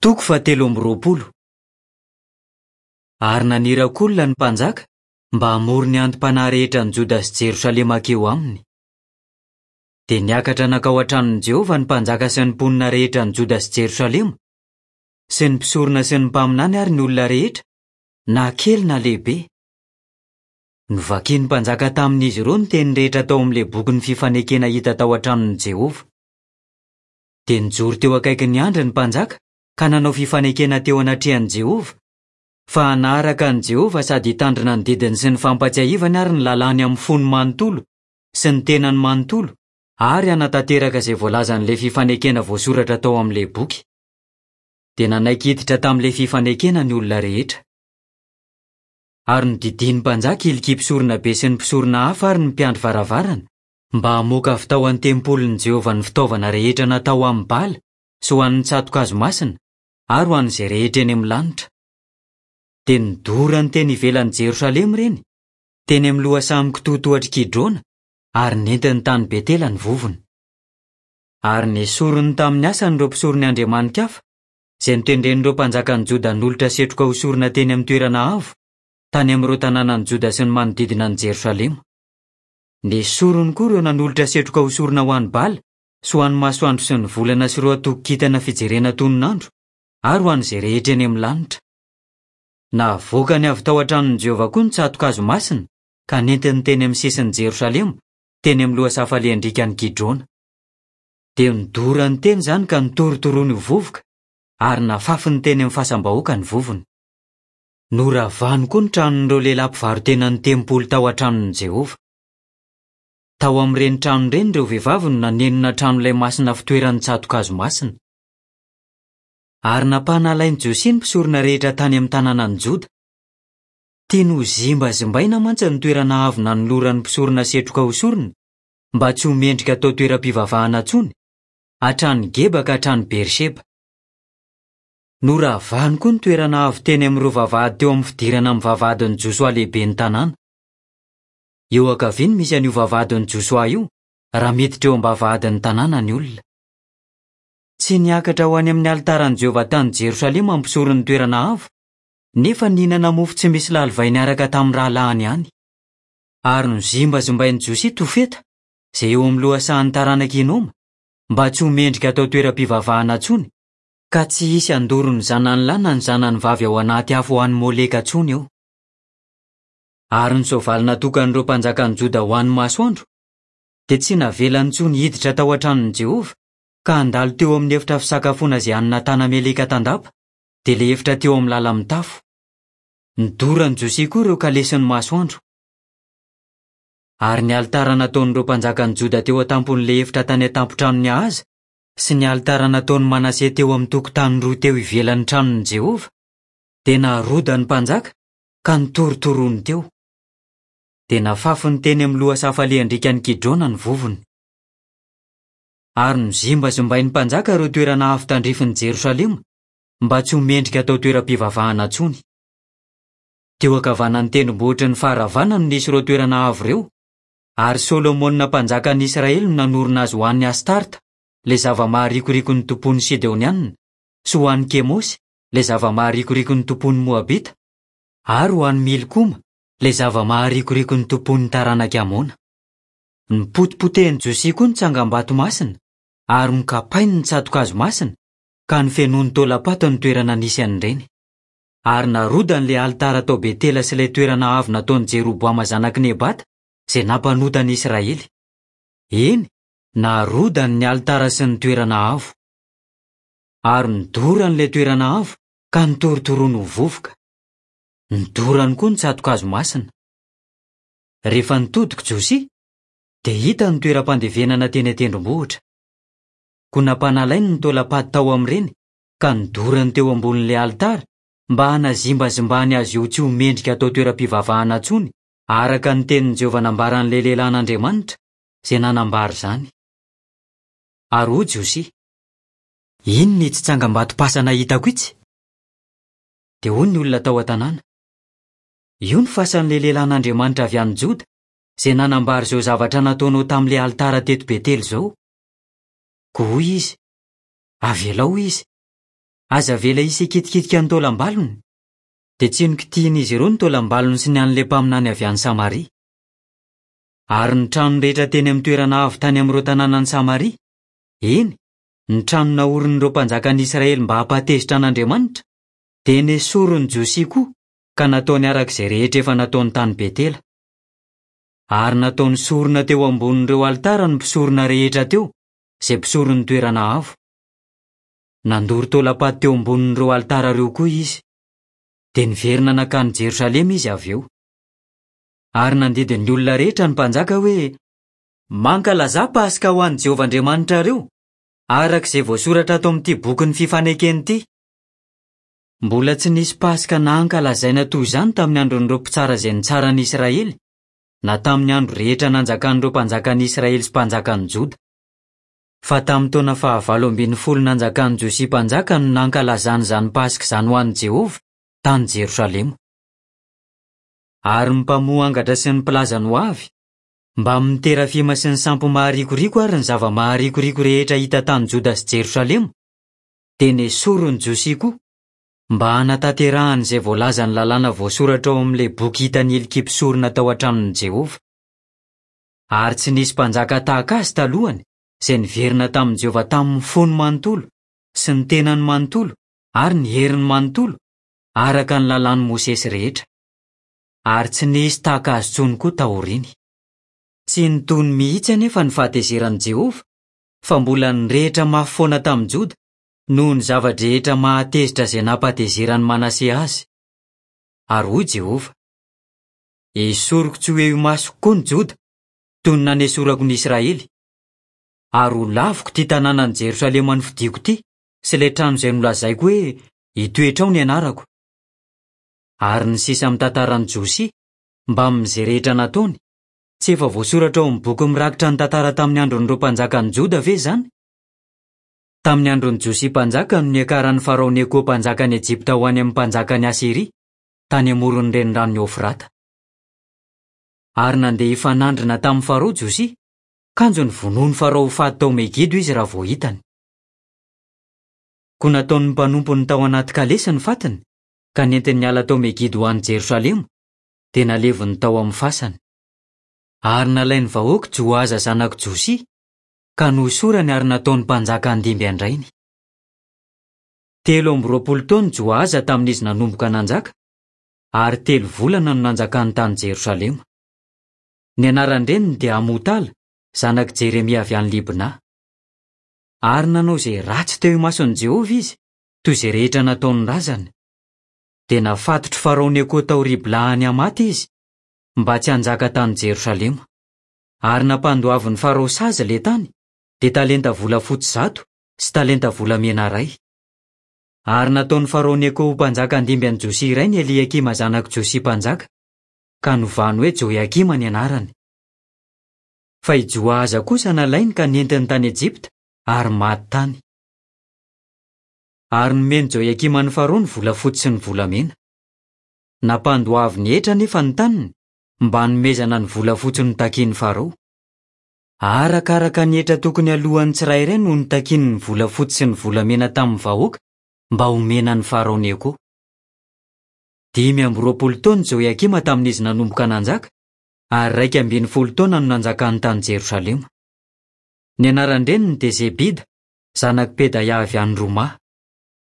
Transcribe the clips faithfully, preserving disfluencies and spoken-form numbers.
Toko fahatelo amby roapolo. Ary naniraka olona ny mpanjaka mba hamory ny anti-panahy rehetra an'i Joda sy Jerosalema hankeo aminy. Dia niakatra nankao an-tranon'i Jehovah ny mpanjaka sy ny mponina rehetra an'i Joda sy Jerosalema, sy ny mpisorona sy ny mpaminany ary ny olona rehetra, na kely na lehibe. Novakin'ny mpanjaka tamin'izy ireo ny teny rehetra tao amin'ilay bokin'ny fifanekena hita tao an-tranon'i Jehovah. Dia nijoro teo akaikin'ny andry ny mpanjaka ka nanao fifanekena teo anatrehan'i Jehovah, fa hanaraka an'i Jehovah sady hitandrina ny didiny sy ny fampatsiahivany ary ny lalàny amin'ny fony manontolo sy ny tenany manontolo ary hanatanteraka izay voalazan'ilay fifanekena voasoratra tao amin'ilay boky. Dia nanaiky hiditra tamin'ilay fifanekena ny olona rehetra. Ary nodidian'ny mpanjaka Hilkia mpisorona be sy ny mpisorona hafa ary ny mpiandry varavarana mba hamoaka avy tao an-tempolin'i Jehovah ny fitaovana rehetra natao amin'ny Bala sy ho an'ny tsato-kazo masina ary ho an'izay rehetra eny amin'ny lanitra. Dia nodorany teny ivelan'i Jerosalema ireny, teny amin'ny lohasaha mikitoatohatr'i Kidrona, ary nentiny tany Betela ny vovony. Ary nesoriny tamin'ny asany ireo mpisoron'ny andriamani-kafa, izay notendren'ireo mpanjakan'i Joda hanolotra setroka ho sorona teny amin'ny toerana avo, tany amin'ireo tanànan'i Joda sy ny manodidina an'i Jerosalema. Nesoriny koa ireo nanolotra setroka ho sorona ho an'i Bala sy ho an'ny masoandro sy ny volana sy ireo antokon-kintana fijerena tononandro ary ho an'izay rehetra eny amin'ny lanitra. Navoakany avy tao an-tranon'i Jehovah koa ny tsato-kazo masina ka nentiny teny amin'ny sisin'i Jerosalema, teny amin'ny lohasaha falehan-driakan'i Kidrona. Dia nodorany teny izany ka notorotoroany ho vovoka ary nafafiny teny amin'ny fasam-bahoaka ny vovony. Noravany koa ny tranon'ireo lehilahy mpivaro-tenan'ny tempoly tao an-tranon'i Jehovah. Tao amin'ireny trano ireny ireo vehivavy no nanenona tranolay masina fitoeran'ny tsato-kazo masina. Ary nampanalain'i Josia ny mpisorona rehetra tany amin'ny tanànan'i Joda. Tiany ho zimbazimbaina mantsy ny toerana avo nanoloran'ny mpisorona setroka ho sorona, mba tsy ho mendrika atao toeram-pivavahana intsony, hatrany Geba ka hatrany Beersheba. Noravany koa ny toerana avo teny amin'ireo vavahady teo amin'ny fidirana amin'ny vavahadin'i Josoa lehiben'ny tanàna. Eo ankavia no misy an'io vavahadin'i Josoa io, raha miditra eo am-bavahadin'ny tanàna ny olona. Tsy niakatra ho any amin'ny alitaran'i Jehovah tany Jerosalema ny mpisoron'ny toerana avo, nefa nihinana mofo tsy misy lalivay niaraka tamin'ny rahalahiny ihany. Ary nozimbazimbain'i Josia Tofeta, izay eo amin'ny lohasahan'ny taranak'i Hinoma, mba tsy ho mendrika atao toeram-pivavahana intsony, ka tsy hisy handoro ny zanany lahy na ny zanany vavy ao anaty afo ho an'i Moleka intsony eo. Ary ny soavaly natokan'ireo mpanjakan'i Joda ho an'ny masoandro, dia tsy navelany intsony hiditra tao an-tranon'i Jehovah, ka handalo teo amin'ny efitra fisakafoana izay an'i Natana-Meleka tandapa, dia ilay efitra teo amin'ny lala-mitafo. Nodoran'i Josia koa ireo kalesin'ny masoandro. Ary ny alitara nataon'ireo mpanjakan'i Joda teo an-tampon'ilay efitra tany an-tampon-tranon'i Ahaza, sy ny alitara nataon'i Manase teo amin'ny tokotany roa teo ivelan'ny tranon'i Jehovah, dia narodan'ny mpanjaka ka notorotoroany teo. Dia nafafiny teny amin'ny lohasaha falehan-driakan'i Kidrona ny vovony. Ary nozimbazimbain'ny mpanjaka ireo toerana avo tandrifin'i Jerosalema mba tsy ho mendrika atao toeram-pivavahana intsony. Teo ankavanan'ny tendrombohitry ny faharavana no nisy ireo toerana avo ireo, ary Solomona mpanjakan'i Israely no nanorina azy ho an'i Astarta, ilay zava-maharikoriko ny tompon'ny Sidonianina, sy ho an'i Kemosy, ilay zava-maharikoriko ny tompon'ny Moabita, ary ho an'i Milkoma, ilay zava-maharikoriko ny tompon'ny taranak'i Amona. Nopotipotehin'i Josia koa ny tsangambato masina, ary nokapainy ny tsato-kazo masina, ka nofenoiny taolam-paty ny toerana nisy an'ireny. Ary narodany ilay alitara tao Betela sy ilay toerana avo nataon'i Jeroboama zanak'i Nebata, izay nampanota an'i Israely. Eny, narodany ny alitara sy ny toerana avo. Ary nodorany ilay toerana avo, ka notorotoroany ho vovoka. Nodorany koa ny tsato-kazo masina. Rehefa nitodika Josia, dia hita ny toeram-pandevenana teny an-tendrombohitra. Koa nampanalainy ny taolam-paty tao amin'ireny, ka nodorany teo ambonin'ilay alitara mba hanazimbazimbany azy io tsy ho mendrika atao toeram-pivavahana intsony, araka ny tenin'i Jehovah nambaran'ilay lehilahin'Andriamanitra, izay nanambara izany. Ary hoy Josia: Inona itsy tsangambatom-pasana hitako itsy? Dia hoy ny olona tao an-tanàna: Io ny fasan'ilay lehilahin'Andriamanitra avy any Joda, izay nanambara izao zavatra nataonao tamin'ilay alitara teto Betela izao. Koa hoy izy: Avelao izy. Aza avela hisy hikitikitika ny taolam-balony. Dia tsy nokitihin'izy ireo ny taolam-balony sy ny an'ilay mpaminany avy any Samaria. Ary ny trano rehetra teny amin'ny toerana avo tany amin'ireo tanànan'i Samaria, eny, ny trano naorin'ireo mpanjakan'i Israely mba hampatezitra an'Andriamanitra, dia nesorin'i Josia koa ka nataony araka izay rehetra efa nataony tany Betela. Ary nataony sorona teo ambonin'ireo alitara ny mpisorona rehetra teo, izay mpisoron'ny toerana avo. Nandoro taolam-paty teo ambonin'ireo alitara ireo koa izy. Dia niverina nankany Jerosalema izy avy eo. Ary nandidy ny olona rehetra ny mpanjaka hoe: "Mankalazà Paska ho an'i Jehovah Andriamanitrareo, araka izay voasoratra ato amin'ity bokin'ny fifanekena ity." Mbola tsy nisy Paska nankalazaina toy izany tamin'ny andron'ireo mpitsara izay nitsara ny Israely, na tamin'ny andro rehetra nanjakan'ireo mpanjakan'i Israely sy mpanjakan'i Joda. Fa tamin'ny taona fahavalo ambin'ny folo nanjakan'i Josia mpanjaka no nankalazana izany Paska izany ho an'i Jehovah tany Jerosalema. Ary ny mpamoha angatra sy ny mpilaza ny ho avy, mbamin'ny terafima sy ny sampy maharikoriko ary ny zava-maharikoriko rehetra hita tany Joda sy Jerosalema, dia nesorin'i Josia koa, mba hanatanterahany izay voalazan'ny lalàna voasoratra ao amin'ilay boky hitan'i Hilkia mpisorona tao an-tranon'i Jehovah. Ary tsy nisy mpanjaka tahaka azy talohany, izay niverina tamin'i Jehovah tamin'ny fony manontolo sy ny tenany manontolo ary ny heriny manontolo, araka ny lalàn'i Mosesy rehetra. Ary tsy nisy tahaka azy intsony koa taoriany. Tsy nitony mihitsy anefa ny fahatezeran'i Jehovah, fa mbola nirehitra mafy foana tamin'i Joda noho ny zava-drehetra mahatezitra izay nampatezeran'i Manase azy. Ary hoy Jehovah: "Esoriko tsy ho eo imasoko koa ny Joda, toy ny nanesorako ny Israely. Ary ho laviko ity tanànan'i Jerosalema nofidiko ity sy ilay trano izay nolazaiko hoe hitoetra ao ny anarako." Ary ny sisa amin'ny tantaran'i Josia, mbamin'izay rehetra nataony, tsy efa voasoratra ao amin'ny boky mirakitra ny tantara tamin'ny andron'ireo mpanjakan'i Joda ve izany? Tamin'ny andron'i Josia mpanjaka no niakaran'i Farao Neko mpanjakan'i Ejipta ho any amin'ny mpanjakan'i Asyria, tany amoron'ny reniranon'i Eofrata. Ary nandeha hifanandrina tamin'i Farao Josia, kanjo novonoin'i Farao ho faty tao Megido izy raha vao hitany. Koa nataon'ny mpanompony tao anaty kalesy ny fatiny, ka nentiny niala tao Megido ho any Jerosalema, dia naleviny tao amin'ny fasany. Ary nalain'ny vahoaka Joaza zanak'i Josia, ka nosorany ary nataony mpanjaka handimby an-drainy. Telo amby roapolo taona Joaza tamin'izy nanomboka nanjaka, ary telo volana no nanjakany tany Jerosalema. Ny anaran-dreniny dia Amotala, zanak'i Jeremia avy any Libna. Ary nanao izay ratsy teo imason'i Jehovah izy, toy izay rehetra nataon'ny razany. Dia nafatotry Farao Neko tao Ribla any Hamata izy, mba tsy hanjaka tany Jerosalema. Ary nampandoavin'i Farao sazy ilay tany, dia talenta volafotsy zato sy talenta volamena iray. Ary nataon'i Farao Neko ho mpanjaka handimby an'i Josia rainy Eliakima zanak'i Josia mpanjaka, ka novany hoe Joiakima ny anarany. Fa i Joaza kosa nalainy ka nentiny tany Ejipta ary maty tany. Ary nomen'i Joiakima an'i Farao ny volafotsy sy ny volamena. Nampandoaviny hetra anefa ny taniny mba hanomezana ny volafotsy notakian'i Farao. Arakaraka ny hetra tokony alohan'ny tsirairay no notakiany ny volafotsy sy ny volamena tamin'ny vahoaka mba homena an'i Farao Neko. Dimy amby roapolo taona Joiakima tamin'izy nanomboka nanjaka, ary iraika ambin'ny folo taona no nanjakany tany Jerosalema. Ny anaran-dreniny dia Zebida, zanak'i Pedaia avy any Roma.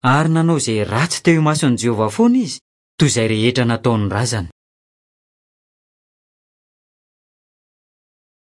Ary nanao izay ratsy teo imason'i Jehovah foana izy, toy izay rehetra nataon'ny razany.